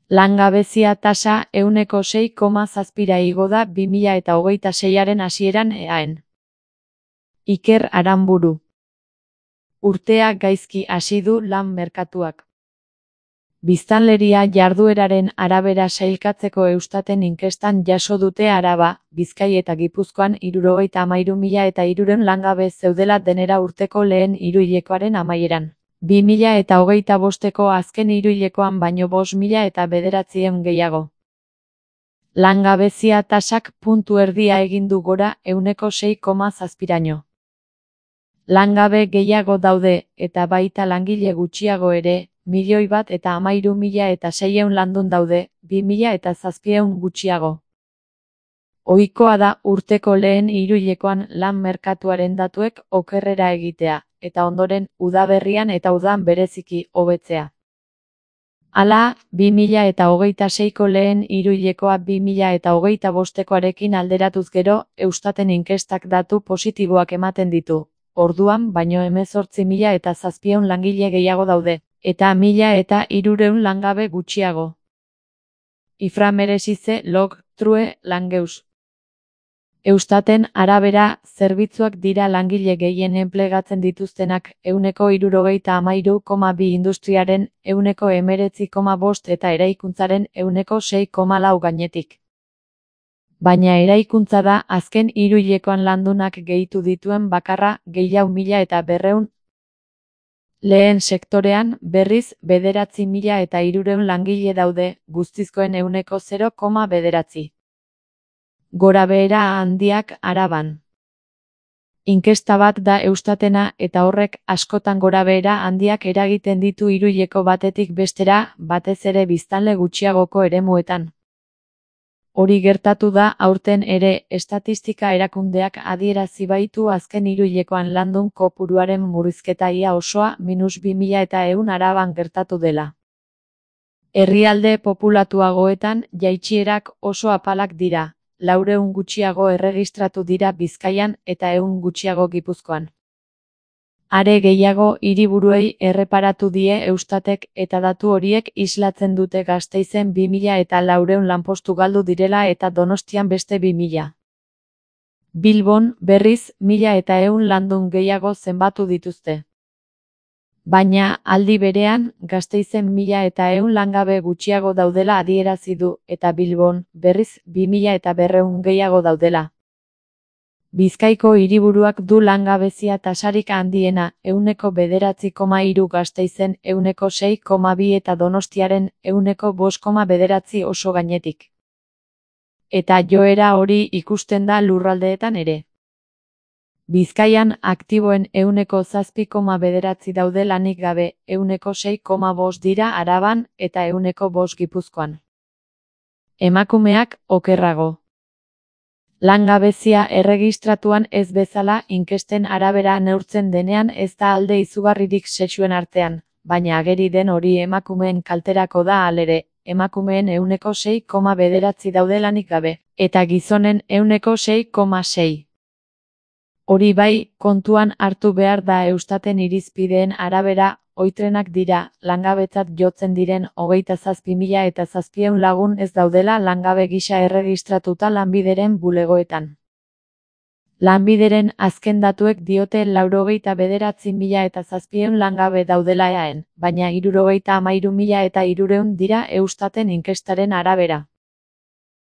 Langabezia tasa 6,7 igo da 2026aren hasieran eaen. Iker Aranburu. Urtea gaizki hasi du lan merkatuak. Biztanleria jardueraren arabera sailkatzeko Eustaten inkestan jaso dute Araba, Bizkai eta Gipuzkoan 73.300 langabe zeudela denera urteko lehen hiruhilekoaren amaieran. 2025eko azken hiruhilekoan baino 5.900 gehiago. Langabezia tasak puntu erdia egin du gora 6,7raino. Langabe gehiago daude, eta baita langile gutxiago ere, 1.013.600 landun daude, 2.700 gutxiago. Ohikoa da urteko lehen hiruhilekoan lan merkatuaren datuek okerrera egitea, eta ondoren, udaberrian eta udan bereziki hobetzea. Hala, 2026ko lehen hiruhilekoa 2025koarekin alderatuz gero, Eustaten inkestak datu positiboak ematen ditu. Orduan baino 18.700 langile gehiago daude, eta 1.300 langabe gutxiago. Iframeresize log, true, langeus. Eustaten arabera, zerbitzuak dira langile gehien enplegatzen dituztenak, 73,2 industriaren, 19,5 eta eraikuntzaren 6,4 gainetik. Baina eraikuntza da azken hiruhilekoan landunak gehitu dituen bakarra, gehiago 1.200. Lehen sektorean, berriz, 9.300 langile daude, guztizkoen 0,9. Gorabehera handiak Araban. Inkesta bat da Eustatena eta horrek askotan gorabehera handiak eragiten ditu hiruhileko batetik bestera, batez ere biztanle gutxiagoko eremuetan. Hori gertatu da aurten ere, estatistika erakundeak adierazi baitu azken hiruhilekoan landun kopuruaren murrizketa ia osoa -2.100 Araban gertatu dela. Herrialde populatuagoetan jaitsierak oso apalak dira, 400 gutxiago erregistratu dira Bizkaian eta 100 gutxiago Gipuzkoan. Are gehiago hiriburuei erreparatu die Eustatek eta datu horiek islatzen dute Gasteizen 2.400 lanpostu galdu direla eta Donostian beste 2.000. Bilbon, berriz, 1.100 landun gehiago zenbatu dituzte. Baina, aldi berean, Gasteizen 1.100 langabe gutxiago daudela adierazi du, eta Bilbon, berriz, 2.200 gehiago daudela. Bizkaiko hiriburuak du langabezia tasarik handiena, 9,3 Gasteizen, 6,2 eta Donostiaren, 5,9 oso gainetik. Eta joera hori ikusten da lurraldeetan ere. Bizkaian aktiboen 7,9 daude lanik gabe, 6,5 dira Araban eta 5 Gipuzkoan. Emakumeak okerrago. Langabezia erregistratuan ez bezala inkesten arabera neurtzen denean ez da alde izugarririk sexuen artean, baina ageri den hori emakumeen kalterako da halere, emakumeen 6,9 daude lanik gabe, eta gizonen 6,6. Hori bai, kontuan hartu behar da Eustaten irizpideen arabera, ohitrenak dira, langabetzat jotzen diren 27.700 lagun ez daudela langabe gisa erregistratuta Lanbideren bulegoetan. Lanbideren azken datuek diote 99.700 langabe daudela eaen, baina 73.300 dira Eustaten inkestaren arabera.